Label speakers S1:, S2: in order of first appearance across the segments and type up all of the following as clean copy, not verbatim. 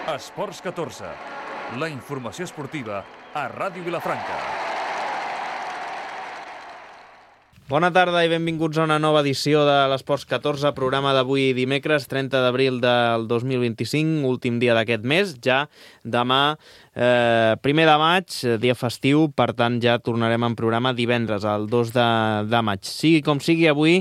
S1: Esports 14, la informació esportiva a Ràdio Vilafranca.
S2: Bona tarda i benvinguts a una nova edició de l'Esports 14, programa d'avui dimecres, 30 d'abril del 2025, últim dia d'aquest mes. Ja demà, 1 de maig, dia festiu, per tant ja tornarem en programa divendres, el 2 de maig. Sigui com sigui, avui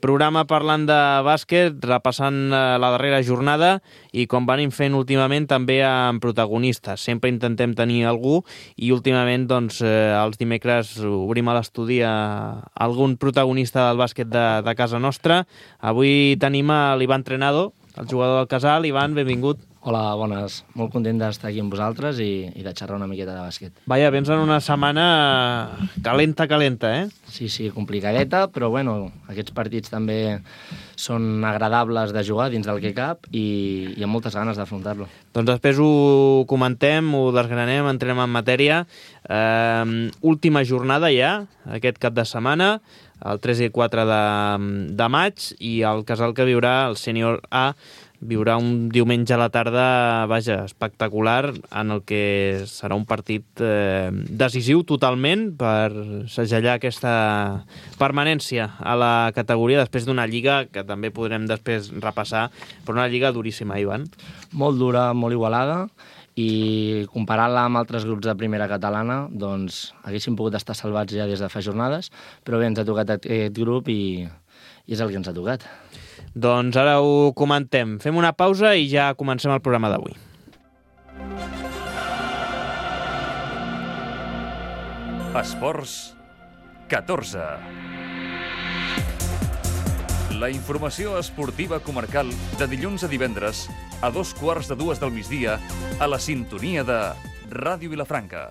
S2: programa parlant de bàsquet, repassant la darrera jornada i com venim fent últimament també amb protagonistes. Sempre intentem tenir algú i últimament doncs, els dimecres obrim a l'estudi algun protagonista del bàsquet de casa nostra. Avui tenim a l'Ivan Trenado, el jugador del Casal. Ivan, benvingut.
S3: Hola, bones. Molt content d'estar aquí amb vosaltres i de xerrar una miqueta de bàsquet.
S2: Vaja, vens en una setmana calenta, eh?
S3: Sí, complicadeta, però bueno, aquests partits també són agradables de jugar dins del que cap i amb moltes ganes d'afrontar-lo.
S2: Doncs després ho comentem, ho desgranem, entrem en matèria. Última jornada ja, aquest cap de setmana, el 3 i 4 de maig, i el Casal que viurà, el Sènior A, viurà un diumenge a la tarda, vaja, espectacular, en el que serà un partit decisiu totalment per segellar aquesta permanència a la categoria després d'una lliga que també podrem després repassar, però una lliga duríssima, Ivan.
S3: Molt dura, molt igualada, i comparant-la amb altres grups de primera catalana, doncs haguéssim pogut estar salvats ja des de fa jornades, però bé, ens ha tocat aquest grup i és el que ens ha tocat.
S2: Doncs ara ho comentem. Fem una pausa i ja comencem el programa d'avui.
S1: Esports 14. La informació esportiva comarcal de dilluns a divendres a 2:15 del migdia a la sintonia de Ràdio Vilafranca.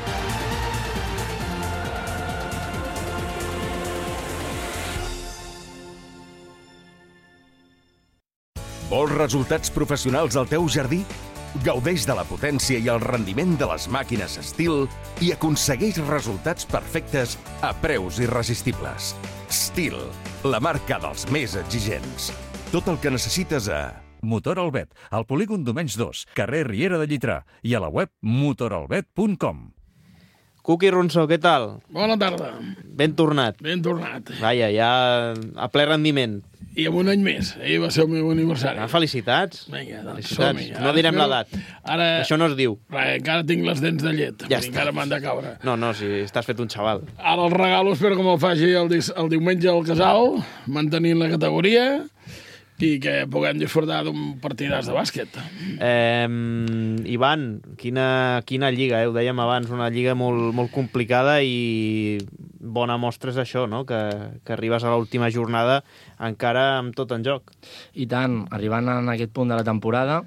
S4: Vols resultats professionals al teu jardí? Gaudeix de la potència i el rendiment de les màquines Stihl i aconsegueix resultats perfectes a preus irresistibles. Stihl, la marca dels més exigents. Tot el que necessites a
S1: Motor Albet, al polígon Domenys 2, carrer Riera de Llitrà, i a la web motoralbet.com.
S2: Cuqui Ronsó, què tal?
S5: Bona tarda.
S2: Ben tornat.
S5: Ben tornat.
S2: Vaja, ja a ple rendiment.
S5: I amb un any més. Ahir va ser el meu aniversari.
S2: Felicitats.
S5: Vinga, doncs
S2: Felicitats.
S5: som-hi.
S2: No direm l'edat.
S5: Ara...
S2: Això no es diu.
S5: Encara tinc les dents de llet.
S2: Ja està.
S5: Encara m'han de caure.
S2: No, si estàs fet un xaval.
S5: Ara el regalo espero que me'l faci el diumenge al Casal, mantenint la categoria, i que puguem disfrutar d'un partidàs de bàsquet.
S2: Ivan, quina lliga, ho dèiem abans, una lliga molt complicada, i bona mostra és això, no? Que arribes a l'última jornada encara amb tot en joc.
S3: I tant, arribant en aquest punt de la temporada,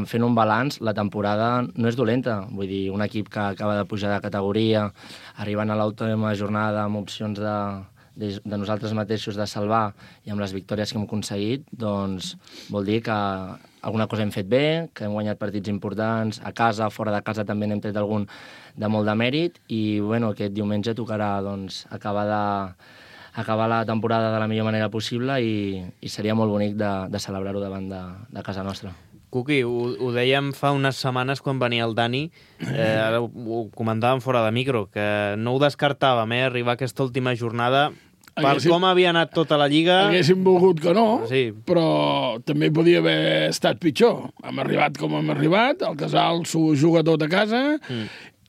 S3: fent un balanç, la temporada no és dolenta. Vull dir, un equip que acaba de pujar de categoria, arribant a l'última jornada amb opcions de nosaltres mateixos de salvar i amb les victòries que hem aconseguit, doncs vol dir que alguna cosa hem fet bé, que hem guanyat partits importants, a casa, fora de casa també n'hem tret algun de molt de mèrit, i bueno, aquest diumenge tocarà doncs, acabar la temporada de la millor manera possible i seria molt bonic de celebrar-ho davant de casa nostra.
S2: Cuqui, ho dèiem fa unes setmanes quan venia el Dani, ara ho comentàvem fora de micro, que no ho descartàvem, arribar a aquesta última jornada. Per com havia anat tota la Lliga...
S5: Haguéssim volgut que no,
S2: sí,
S5: però també podia haver estat pitjor. Hem arribat com hem arribat, el Casal s'ho juga tot a casa,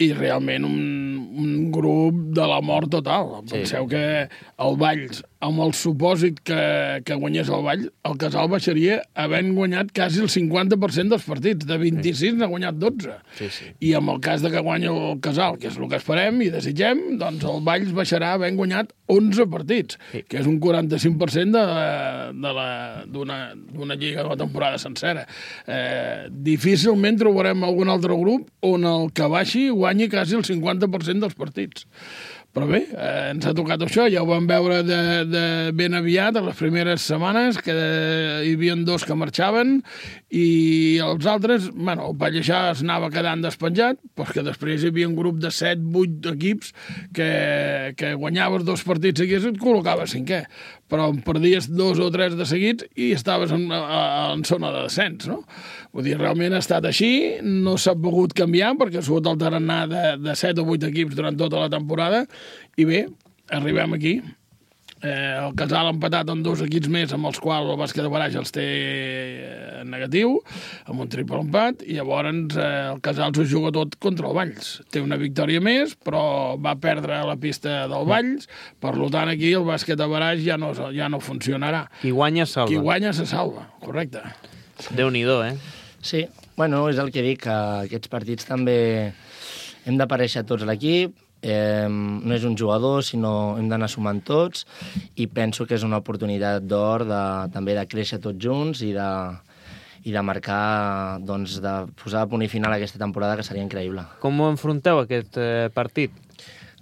S5: i realment un grup de la mort total. Sí. Penseu que el Valls, amb el supòsit que guanyés el Valls, el Casal baixaria havent guanyat quasi el 50% dels partits. De 26 n'ha guanyat 12.
S2: Sí.
S5: I amb el cas de que guanyi el Casal, que és el que esperem i desitgem, doncs el Valls baixarà havent guanyat 11 partits, que és un 45% d'una lliga de la temporada sencera. Difícilment trobarem algun altre grup on el que baixi guanyi quasi el 50% dels partits. Però bé, ens ha tocat això, ja ho vam veure de ben aviat, a les primeres setmanes, que hi havia 2 que marxaven, i els altres, bueno, el Palleixà es anava quedant despenjat, però que després hi havia un grup de 7-8 equips que guanyaves 2 partits seguits i et col·locaves 5è. però en perdies 2 o 3 de seguits i estaves en zona de descens, no? Vull dir, realment ha estat així, no s'ha pogut canviar perquè ha sigut el tarannà de 7 o 8 equips durant tota la temporada i bé, arribem aquí. El Casal ha empatat amb 2 equips més amb els quals el Bàsquet de Baraix els té negatiu, amb un triple empat, i llavors el Casal s'ho juga tot contra el Valls. Té una victòria més, però va perdre a la pista del Valls, per tant aquí el Bàsquet de Baraix ja no funcionarà.
S2: Qui guanya salva.
S5: Qui guanya se salva, correcte.
S2: Déu-n'hi-do,
S3: Sí, bueno, és el que dic, que aquests partits també hem d'aparèixer tots a l'equip. No és un jugador, sinó hem d'anar sumant tots, i penso que és una oportunitat d'or també de créixer tots junts i de marcar, doncs, de posar a punt i final aquesta temporada, que seria increïble.
S2: Com ho enfronteu, aquest partit?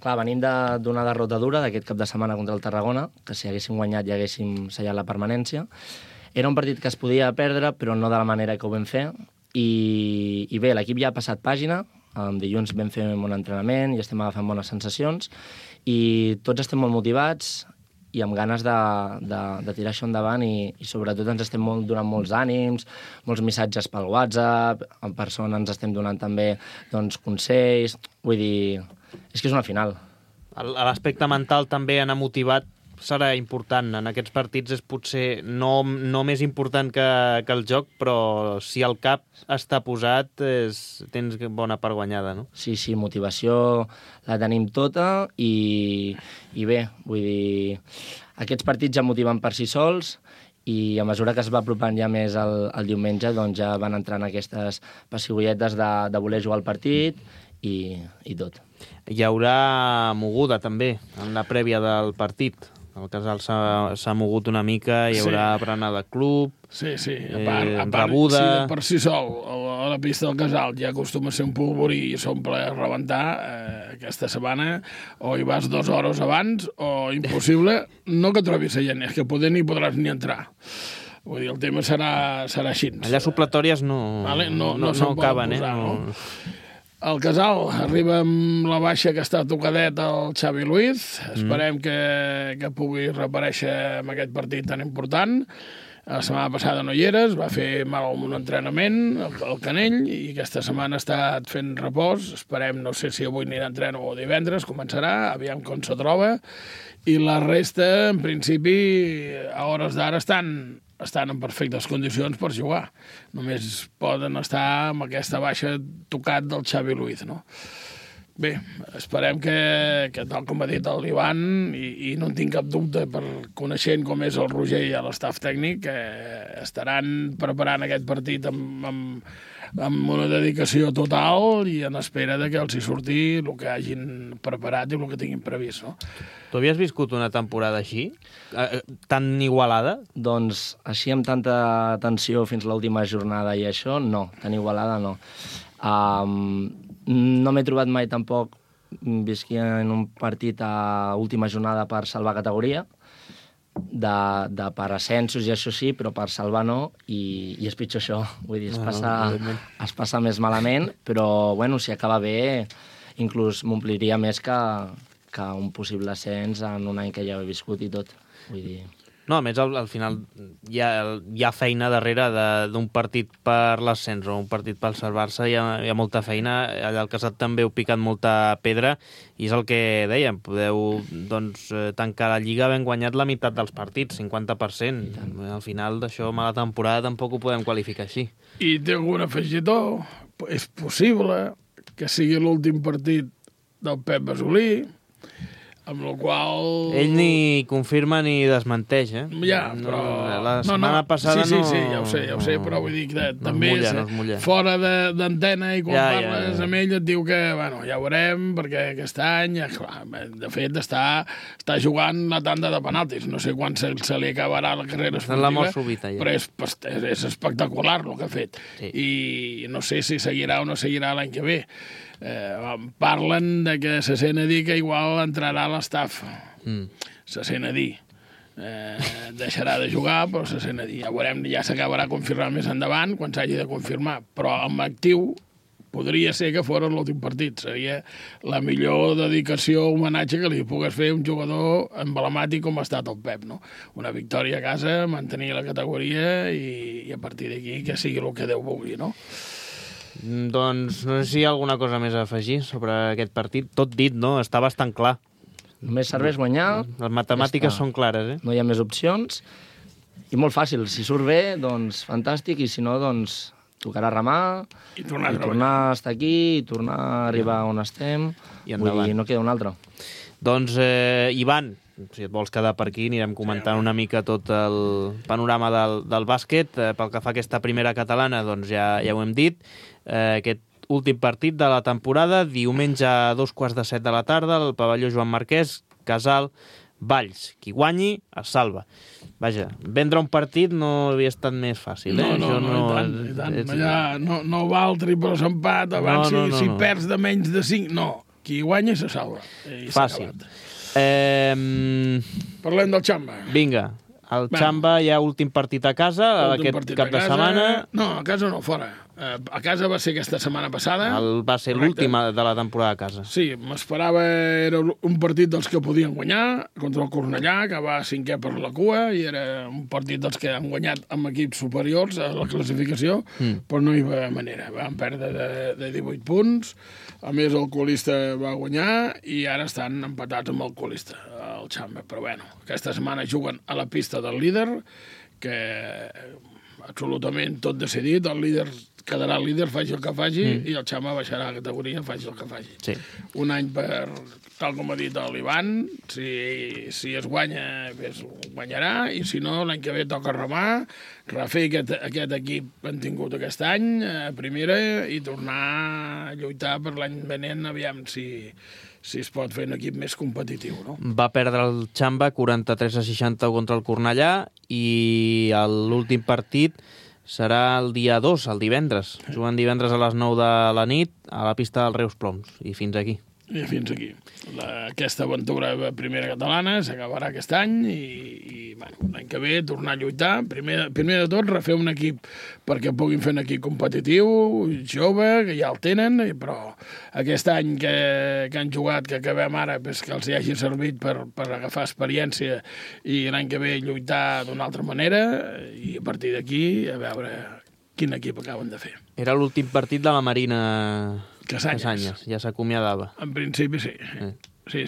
S3: Clar, venim d'una derrota dura d'aquest cap de setmana contra el Tarragona, que si haguéssim guanyat ja haguéssim sellat la permanència. Era un partit que es podia perdre, però no de la manera que ho vam fer, i bé, l'equip ja ha passat pàgina. Dilluns vam fer un entrenament i estem agafant bones sensacions i tots estem molt motivats i amb ganes de tirar això endavant i sobretot ens estem donant molts ànims, molts missatges pel WhatsApp, en persona ens estem donant també consells. Vull dir, és que és una final.
S2: L'aspecte mental també anar motivat serà important. En aquests partits és potser no més important que el joc, però si el cap està posat tens bona part guanyada, no?
S3: Sí, motivació la tenim tota i bé, vull dir, aquests partits ja motiven per si sols i a mesura que es va apropant ja més el diumenge, doncs ja van entrant aquestes pessigolletes de voler jugar el partit i tot.
S2: Hi haurà moguda també en la prèvia del partit. El Casal s'ha mogut una mica, hi haurà berenar de club,
S5: sí. A part,
S2: rebuda...
S5: Si per si sol a la pista del Casal ja acostuma a ser un polvorí i s'omple a rebentar, aquesta setmana o hi vas 2 hores abans o impossible, no que trobis gent, és que poder ni podràs ni entrar. Vull dir, el tema serà així.
S2: Allà supletòries no acaben,
S5: posar, no? El Casal arriba amb la baixa que està tocadet al Xavi Luiz. Esperem que pugui reaparèixer en aquest partit tan important. La setmana passada no hi eres, va fer mal un entrenament, el canell, i aquesta setmana ha estat fent repòs. Esperem, no sé si avui anirà a entreno o divendres, començarà, aviam com se troba. I la resta, en principi, a hores d'ara estan en perfectes condicions per jugar. Només poden estar amb aquesta baixa tocat del Xavi Luiz, no? Bé, esperem que tal com ha dit el Ivan, i no en tinc cap dubte, per coneixent com és el Roger i l'estaf tècnic, estaran preparant aquest partit amb una dedicació total i en espera de que els hi surti el que hagin preparat i el que tinguin previst, no?
S2: Tu havies viscut una temporada així? Tan igualada?
S3: Doncs així amb tanta tensió fins l'última jornada i això, no. Tan igualada no. No m'he trobat mai tampoc visqui en un partit a última jornada per salvar categoria, per ascensos i això sí, però per salvar no, i és pitjor això. Vull dir, es passa més malament, però bueno, si acaba bé, inclús m'ompliria més que un possible ascens en un any que ja he viscut i tot. Vull dir...
S2: No, a més, al final hi ha feina darrere d'un partit per l'ascens o un partit per salvar-se, hi ha molta feina. Allà al Casat també heu picat molta pedra i és el que dèiem, podeu tancar la Lliga havent guanyat la meitat dels partits, 50%. Al final d'això, mala temporada, tampoc ho podem qualificar així.
S5: I té algun afegitó? És possible que sigui l'últim partit del Pep Basolí, amb la qual...
S2: Ell ni confirma ni desmenteix,
S5: Ja, però...
S2: La setmana passada no...
S5: Sí, ja ho sé, però vull dir que també fora d'antena i quan parles amb ell et diu que, bueno, ja ho veurem, perquè aquest any, clar, de fet, està jugant la tanda de penaltis. No sé quan se li acabarà la carrera esportiva, però és espectacular el que ha fet. I no sé si seguirà o no seguirà l'any que ve. Parlen de que se sent a dir que igual entrarà a l'estaf. Se sent a dir. Deixarà de jugar, però se sent a dir. Ja veurem, ja s'acabarà confirmant més endavant, quan s'hagi de confirmar. Però amb actiu podria ser que fos l'últim partit. Seria la millor dedicació o homenatge que li pogués fer un jugador emblemàtic com ha estat el Pep, no? Una victòria a casa, mantenir la categoria i a partir d'aquí que sigui el que Déu vulgui, no?
S2: Doncs no sé si hi ha alguna cosa més a afegir sobre aquest partit. Tot dit, no? Està bastant clar.
S3: Només serveix guanyar.
S2: Les matemàtiques són clares,
S3: No hi ha més opcions. I molt fàcil. Si surt bé, doncs fantàstic, i si no, doncs tocarà remar,
S5: I tornar
S3: a estar aquí, i tornar a arribar on estem,
S2: I endavant.
S3: Vull dir, no queda un altre.
S2: Doncs, Ivan, si et vols quedar per aquí, anirem comentant una mica tot el panorama del bàsquet. Pel que fa a aquesta primera catalana, doncs ja ho hem dit. Aquest últim partit de la temporada, diumenge a 2:15 de la tarda, al pavelló Joan Marquès, Casal, Valls. Qui guanyi, es salva. Vaja, vendre un partit no havia estat més fàcil, eh?
S5: I tant. Allà no val triples empat, abans si perds de menys de 5, no. Qui guanya se salva.
S2: Fàcil.
S5: Parlem del Xamba.
S2: Vinga, el Xamba hi ha últim partit a casa, aquest cap de setmana.
S5: No, a casa no, fora. A casa va ser aquesta setmana passada.
S2: Va ser l'últim de la temporada a casa.
S5: Sí, m'esperava, era un partit dels que podien guanyar, contra el Cornellà, que va 5è per la cua, i era un partit dels que han guanyat amb equips superiors a la classificació, però no hi va manera. Van perdre de 18 punts, a més el colista va guanyar, i ara estan empatats amb el colista, el Xamba. Però bueno, aquesta setmana juguen a la pista del líder, que absolutament tot decidit, el líder quedarà el líder, faci el que faci, i el Xamba baixarà a la categoria, faci el que faci.
S2: Sí.
S5: Un any tal com ha dit l'Ivan, si es guanya, pues, guanyarà, i si no, l'any que ve toca remar, refer aquest equip que han tingut aquest any, a primera, i tornar a lluitar per l'any venent, aviam si es pot fer un equip més competitiu, no?
S2: Va perdre el Xamba 43-60 contra el Cornellà, i l'últim partit serà el dia 2, el divendres. Juguen divendres a les 9 de la nit a la pista del Reus Ploms. I fins aquí.
S5: I fins aquí. Aquesta aventura primera catalana s'acabarà aquest any i bueno, l'any que ve tornar a lluitar. Primer de tot, refer un equip perquè puguin fer un equip competitiu, jove, que ja el tenen, però aquest any que han jugat, que acabem ara, pues, que els hi hagi servit per agafar experiència i l'any que ve lluitar d'una altra manera i a partir d'aquí a veure quin equip acaben de fer.
S2: Era l'últim partit de la Marina
S5: Casanyes.
S2: Ja s'acomiadava.
S5: En principi sí. Sí.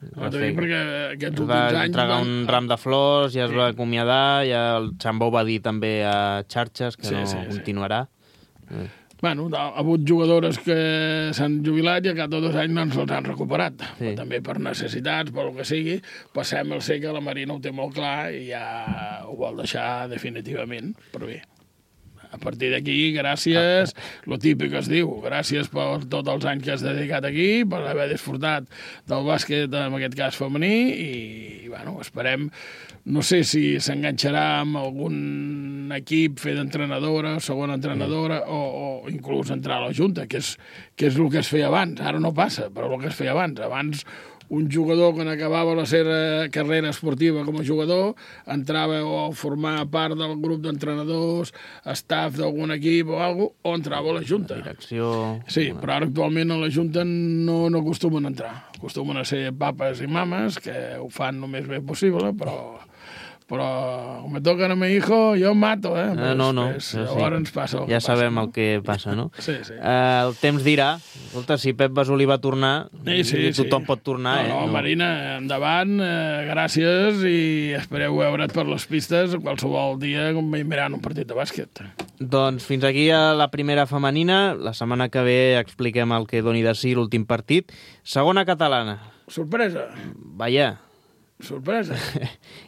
S5: Perquè aquests últims anys...
S2: Va entregar un ram de flors, ja es va acomiadar, ja el Xamba ho va dir també a xarxes, que no continuarà.
S5: Bueno, ha hagut jugadores que s'han jubilat i a cada 2 anys no ens els han recuperat. Sí. També per necessitats, per el que sigui, passem el ser que la Marina ho té molt clar i ja ho vol deixar definitivament, però bé. A partir d'aquí, gràcies, lo típic es diu, gràcies per tots els anys que has dedicat aquí, per haver disfrutat del bàsquet, en aquest cas femení, i bueno, esperem, no sé si s'enganxarà amb algun equip, fer d'entrenadora, segona entrenadora, o inclús entrar a la Junta, que és el que es feia abans. Ara no passa, però el que es feia abans. Abans un jugador, quan acabava la seva carrera esportiva com a jugador, entrava a formar part del grup d'entrenadors, staff d'algun equip o alguna cosa, o entrava a la Junta.
S2: Direcció...
S5: Sí, però ara actualment a la Junta no acostumen a entrar. Acostumen a ser papes i mames, que ho fan el més bé possible, però com me toquen a mi hijo, jo mato, eh?
S2: No.
S5: Llavors ens passa
S2: ja sabem el que passa, no?
S5: Sí.
S2: El temps dirà. Escolta, si Pep Basolí va tornar, tothom pot tornar,
S5: No, Marina, endavant, gràcies, i espereu veure't per les pistes qualsevol dia com mirant un partit de bàsquet.
S2: Doncs fins aquí a la primera femenina. La setmana que ve expliquem el que doni de si l'últim partit. Segona catalana.
S5: Sorpresa.
S2: Vaja.
S5: Sorpresa.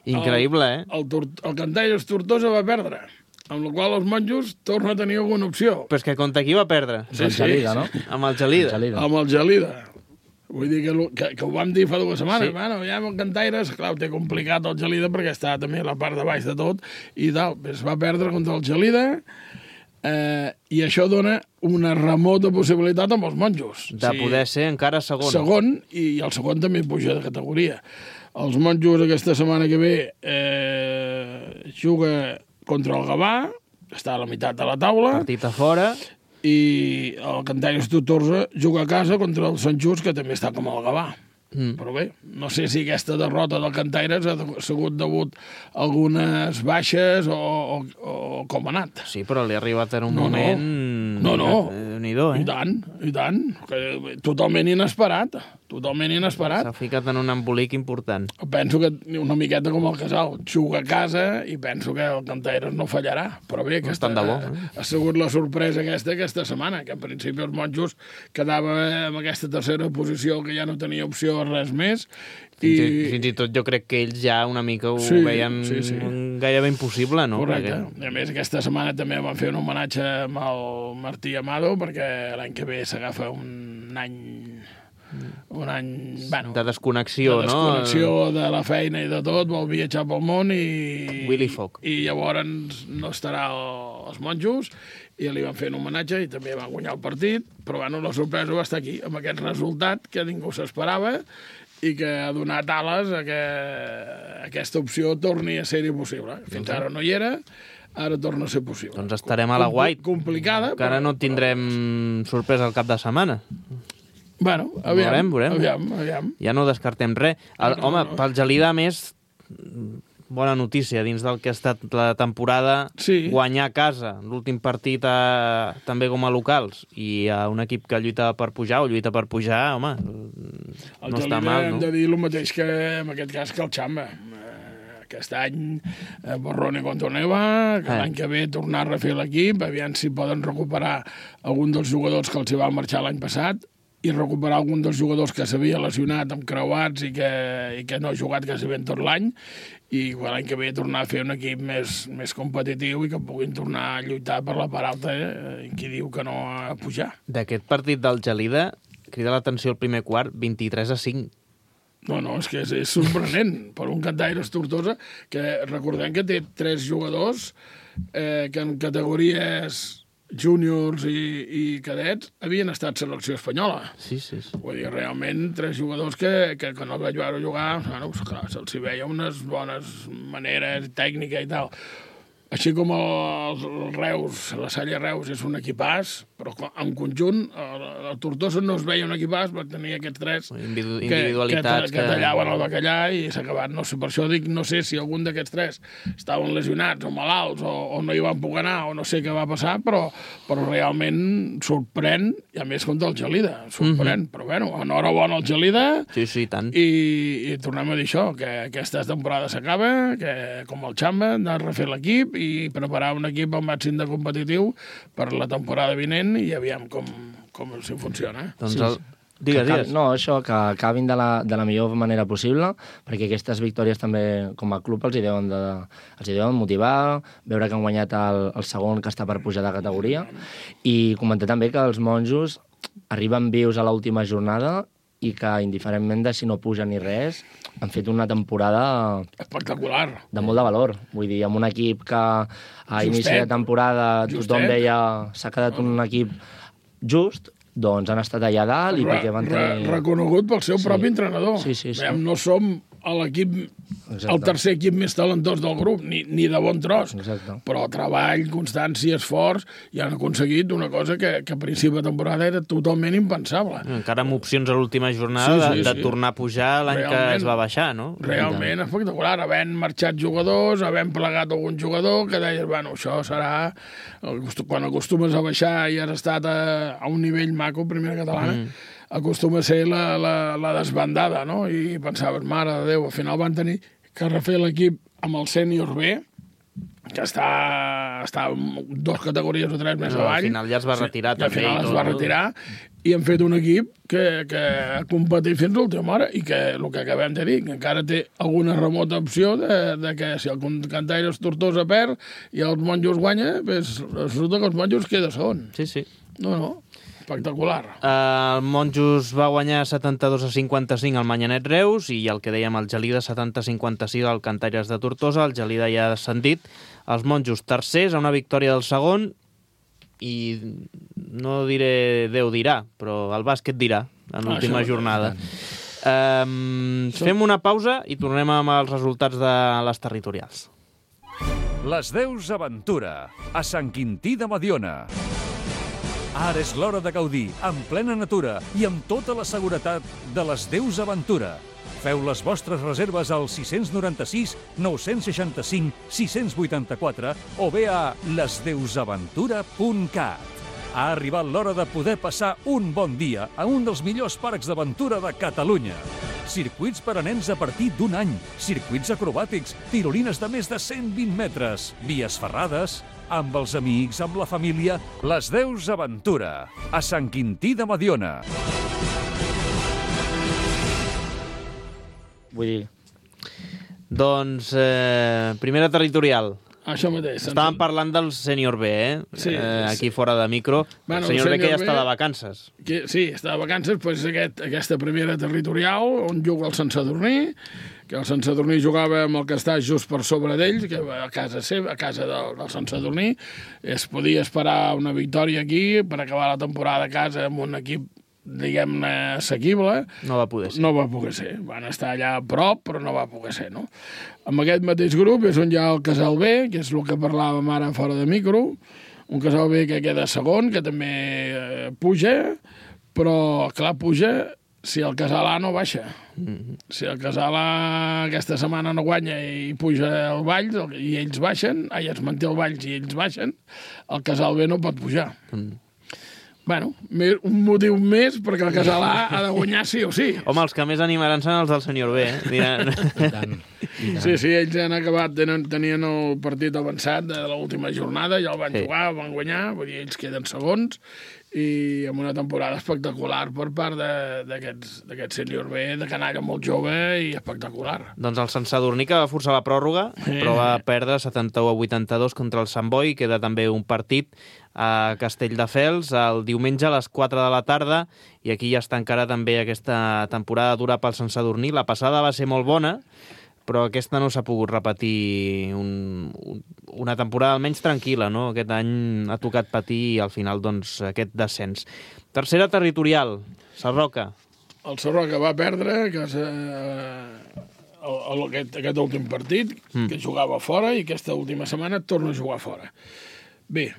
S2: Increïble, eh?
S5: El Cantalles Tortosa va perdre, amb la qual els monjos tornen a tenir alguna opció.
S2: Però és que contra qui va perdre?
S3: Sí. Gelida, no?
S2: Amb el Gelida.
S5: Amb el Gelida. Vull dir que ho vam dir fa 2 setmanes.
S2: Sí.
S5: Bueno, ja amb el Cantaires, clar, ho té complicat el Gelida perquè està també a la part de baix de tot i tal. Es va perdre contra el Gelida i això dona una remota possibilitat amb els monjos.
S2: De poder ser encara segon.
S5: Segon, i el segon també puja de categoria. Els monjos aquesta setmana que ve juga contra el Gavà, està a la meitat de la taula.
S2: Partit a fora.
S5: i el Cantaires Tortosa juga a casa contra el Sant Just, que també està com el Gavà. Però bé, no sé si aquesta derrota del Cantaires ha sigut degut a algunes baixes o com ha anat.
S2: Sí, però li ha arribat en un moment...
S5: No.
S2: Déu-n'hi-do,
S5: I tant. Que totalment inesperat.
S2: S'ha ficat en un embolic important.
S5: Penso que una miqueta com el Casal. Juga a casa i penso que el Cantaires no fallarà. Però bé, ha sigut la sorpresa aquesta setmana, que en principi els monjos quedava en aquesta tercera posició, que ja no tenia opció a res més.
S2: Fins i tot jo crec que ells ja una mica ho veien gairebé impossible, no?
S5: Correcte. I a més, aquesta setmana també van fer un homenatge amb el Martí Amado, perquè l'any que ve s'agafa un any... Bueno,
S2: de desconnexió, no?
S5: De desconnexió de la feina i de tot, vol viatjar pel món i...
S2: Willy Fogg.
S5: I llavors no estarà als monjos, i li van fer un homenatge i també van guanyar el partit, però bueno, la sorpresa va estar aquí, amb aquest resultat que ningú s'esperava i que ha donat ales a que aquesta opció torni a ser possible. Fins ara no hi era, ara torna a ser possible.
S2: Doncs estarem a la White.
S5: Complicada.
S2: Que ara no tindrem sorpresa al cap de setmana.
S5: Bueno, aviam.
S2: Ja no descartem res. Home, pel Gelida, més, bona notícia, dins del que ha estat la temporada, guanyar a casa, l'últim partit també com a locals, i a un equip que lluita per pujar, home, no està mal, no?
S5: Hem de dir el mateix que, en aquest cas, que el Xamba. Aquest any, borrone contra neva, que l'any que ve tornar a refer l'equip, aviam si poden recuperar algun dels jugadors que els hi va marxar l'any passat, i recuperar algun dels jugadors que s'havia lesionat amb creuats i que no ha jugat quasi ben tot l'any, i l'any que ve tornar a fer un equip més competitiu i que puguin tornar a lluitar per la part alta, qui diu que no a pujar.
S2: D'aquest partit del Gelida, crida l'atenció el primer quart, 23-5.
S5: No, és que és sorprenent per un Cantaires Tortosa, que recordem que té 3 jugadors que en categories júniors i cadets havien estat selecció espanyola.
S2: Sí.
S5: Vull dir, realment, 3 jugadors que no vaig veure jugar, bueno, clar, se'ls veia unes bones maneres, tècnica i tal. Així com el Reus, la Salle Reus és un equipàs, però en conjunt el Tortosa no es veia un equipàs, perquè tenia aquests 3
S2: individualitats
S5: que tallaven el bacallà i s'ha acabat. No sé, per això dic, no sé si algun d'aquests 3 estaven lesionats o malalts o no hi van poder anar o no sé què va passar, però realment sorprèn, i a més contra el Gelida, sorprèn. Però bueno, enhorabona al Gelida.
S2: Sí, tant.
S5: I tornem a dir això, que aquesta temporada s'acaba, que com el Xamba han de refer l'equip i preparar un equip al màxim de competitiu per la temporada vinent i aviam com els funciona.
S2: Doncs digues.
S3: No, això, que acabin de la millor manera possible, perquè aquestes victòries també, com a club, els hi deuen motivar, veure que han guanyat el segon, que està per pujar de categoria, i comentar també que els monjos arriben vius a l'última jornada i que, indiferentment de si no puja ni res, han fet una temporada
S5: espectacular,
S3: de molt de valor. Vull dir, amb un equip que a inici de temporada tothom deia s'ha quedat un equip just, doncs han estat allà dalt i perquè van tenir...
S5: Reconegut pel seu propi entrenador.
S3: Sí.
S5: No som l'equip, el tercer equip més talentós del grup, ni de bon tros.
S3: Exacte.
S5: Però treball, constància, esforç, i han aconseguit una cosa que a principi de temporada era totalment impensable.
S2: Encara amb opcions a l'última jornada de tornar a pujar l'any que es va baixar, no?
S5: Realment espectacular, havent marxat jugadors, havent plegat algun jugador, que deies, bueno, això serà... Quan acostumes a baixar i has estat a un nivell maco, primera catalana, acostuma a ser la desbandada, no? I pensaves, mare de Déu, al final van tenir que refer l'equip amb el sènior B, que està 2 categories o 3 més avall.
S2: Al final ja es va retirar també.
S5: Al final es va retirar i han fet un equip que ha competit fins a l'última hora i que, el que acabem de dir, que encara té alguna remota opció de que si el Cantaires Tortosa perd i els monjos guanya, doncs resulta que els monjos queda segon.
S2: Sí.
S5: No, espectacular.
S2: El Monjos va guanyar 72-55 al Manyanet Reus i el que dèiem el Gelida 70-56 al Cantaires de Tortosa. El Gelida ja ha descendit. Els Monjos tercers a una victòria del segon i no diré Déu dirà, però el bàsquet dirà en l'última jornada. Fem una pausa i tornem amb els resultats de les territorials.
S1: Les Deus Aventura, a Sant Quintí de Mediona. Ara és l'hora de gaudir, en plena natura i amb tota la seguretat de les Deus Aventura. Feu les vostres reserves al 696 965 684 o bé a lesdeusaventura.cat. Ha arribat l'hora de poder passar un bon dia a un dels millors parcs d'aventura de Catalunya. Circuits per a nens a partir d'un any, circuits acrobàtics, tirolines de més de 120 metres, vies ferrades, amb els amics, amb la família, les Deus Aventura, a Sant Quintí de Mediona.
S3: Vull dir,
S2: Doncs, primera territorial.
S5: Això mateix.
S2: Estàvem parlant del sènior B,
S5: Sí,
S2: aquí fora de micro.
S5: Bueno,
S2: El sènior B que ja
S5: sènior B-
S2: està de vacances.
S5: Sí, està de vacances, doncs aquesta primera territorial, on juga el Sant Sadurní, que el Sant Sadurní jugava amb el que està just per sobre d'ells, que a casa seva, a casa del Sant Sadurní. Es podia esperar una victòria aquí per acabar la temporada a casa amb un equip, diguem-ne, assequible.
S2: No va poder ser.
S5: No va poder ser. Van estar allà a prop, però no va poder ser, no? Amb aquest mateix grup és on hi ha el Casal B, que és el que parlàvem ara fora de micro, un Casal B que queda segon, que també puja, però, clar, puja si el Casal A no baixa. Si el Casal A aquesta setmana no guanya i puja el Valls i ells baixen, es manté el Valls i ells baixen, el Casal B no pot pujar. Bueno, un motiu més perquè el Casal A ha de guanyar sí o sí.
S2: Home, els que més animaran són els del sènior B, Diran...
S3: i tant.
S5: Sí, ells han acabat, tenien el partit avançat de l'última jornada, ja el van jugar, van guanyar, vull dir, ells queden segons, i amb una temporada espectacular per part d'aquest sènior B, de canalla molt jove i espectacular.
S2: Doncs el Sant Sadurní que va forçar la pròrroga, però va perdre 71-82 contra el Sant Boi, queda també un partit a Castelldefels el diumenge a les 4 de la tarda, i aquí ja està encara també aquesta temporada dura pel Sant Sadurní. La passada va ser molt bona, però aquesta no s'ha pogut repetir una temporada almenys tranquil·la, no? Aquest any ha tocat patir i al final doncs aquest descens. Tercera territorial, Sarroca.
S5: El Sarroca va perdre aquest últim partit, que jugava fora, i aquesta última setmana torna a jugar fora. Bé...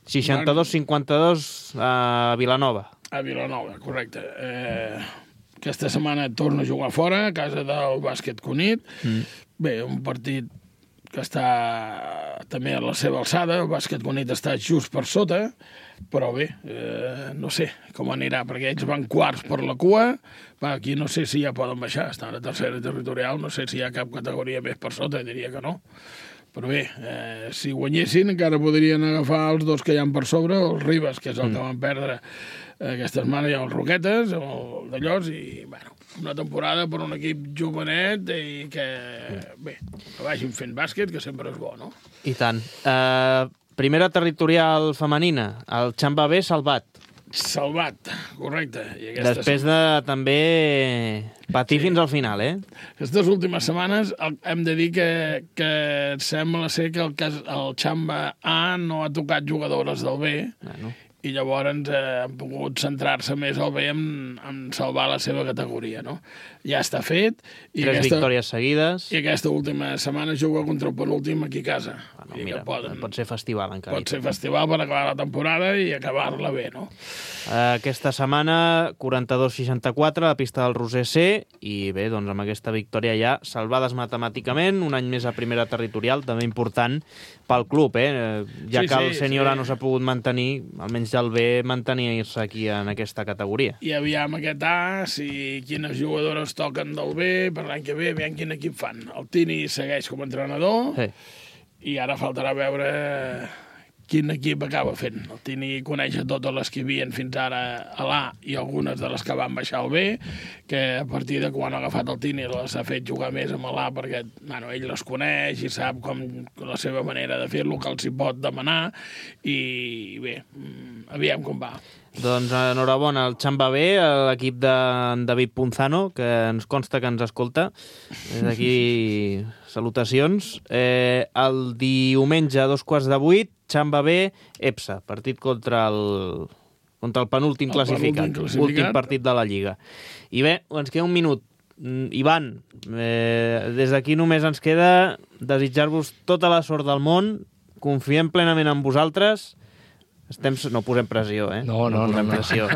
S2: 62-52 a Vilanova.
S5: A Vilanova, correcte. Aquesta setmana torna a jugar fora, a casa del Bàsquet Cunit. Bé, un partit que està també a la seva alçada. El Bàsquet Cunit està just per sota, però bé, no sé com anirà, perquè ells van quarts per la cua. Aquí no sé si ja poden baixar, estan a la tercera territorial, no sé si hi ha cap categoria més per sota, diria que no. Però bé, si guanyessin encara podrien agafar els dos que hi ha per sobre, els Ribes, que és el que van perdre aquesta setmana, i els Roquetes, el d'Allòs, i bueno, una temporada per un equip jovenet i que, bé, que vagin fent bàsquet, que sempre és bo, no?
S2: I tant. Primera territorial femenina, el Xamba B salvat.
S5: Salvat, correcte. I
S2: després de també patir fins al final,
S5: Aquestes últimes setmanes hem de dir que sembla ser que el Xamba A no ha tocat jugadores del B, i llavors han pogut centrar-se més al B en salvar la seva categoria, no? Ja està fet.
S2: Tres victòries seguides.
S5: I aquesta última setmana juga contra el penúltim aquí a casa.
S2: Mira, pot ser festival encara.
S5: Pot ser festival per acabar la temporada i acabar-la bé, no?
S2: Aquesta setmana 42-64 a la pista del Roser C, i bé, doncs amb aquesta victòria ja salvades matemàticament, un any més a primera territorial, també important pel club, ja que el sènior A no s'ha pogut mantenir, almenys ja el B mantenir-se aquí en aquesta categoria.
S5: I aviam aquest A, si quines jugadores toquen del B, per l'any que ve, aviam quin equip fan. El Tini segueix com a entrenador, i ara faltarà veure quin equip acaba fent. El Tini coneix a totes les que hi havia fins ara a l'A i algunes de les que van baixar al B, que a partir de quan ha agafat el Tini les ha fet jugar més amb l'A perquè ell les coneix i sap com la seva manera de fer-lo, que els hi pot demanar, i bé, aviam com va.
S2: Doncs enhorabona al Xamba B, a l'equip d'en David Punzano, que ens consta que ens escolta. Des d'aquí salutacions. El diumenge a 7:15, Xamba B, EPSA, partit contra el penúltim classificat, últim partit de la Lliga. I bé, ens queda un minut. Ivan, des d'aquí només ens queda desitjar-vos tota la sort del món, confiem plenament en vosaltres, No posem pressió, eh?
S3: No.
S2: Pressió.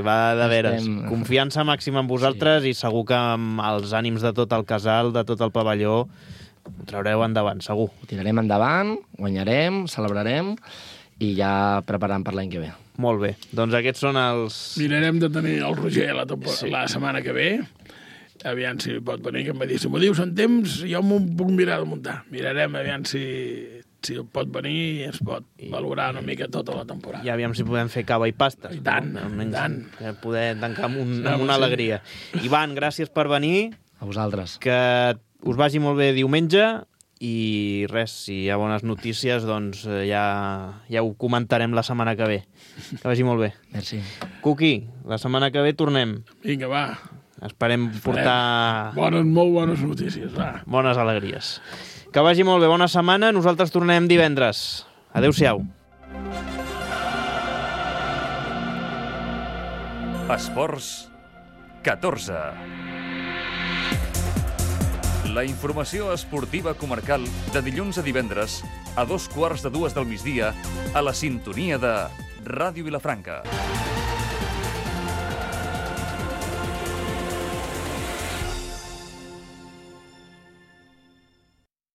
S2: Va de veres. Confiança màxima en vosaltres i segur que amb els ànims de tot el casal, de tot el pavelló, ho traureu endavant, segur.
S3: Ho tirarem endavant, guanyarem, celebrarem i ja preparant per l'any que ve.
S2: Molt bé. Doncs aquests són els...
S5: Mirarem de tenir el Roger la setmana que ve. Aviam si pot venir, que em va dir, si m'ho dius en temps, jo m'ho puc mirar de muntar. Mirarem, aviam si pot venir i es pot valorar una mica tota la temporada.
S2: I aviam si podem fer cava i pastes.
S5: I tant,
S2: no?
S5: i tant.
S2: Poder tancar amb una alegria. Ivan, gràcies per venir.
S3: A vosaltres.
S2: Que us vagi molt bé diumenge i res, si hi ha bones notícies, doncs ja ho comentarem la setmana que ve. Que vagi molt bé.
S3: Merci.
S2: Cuqui, la setmana que ve tornem.
S5: Vinga, va.
S2: Esperem portar...
S5: Molt bones notícies, va.
S2: Bones alegries. Que vagi molt bé, bona setmana. Nosaltres tornem divendres. Adéu-siau.
S1: Esports 14. La informació esportiva comarcal de dilluns a divendres a 2:15 del migdia a la sintonia de Ràdio Vilafranca.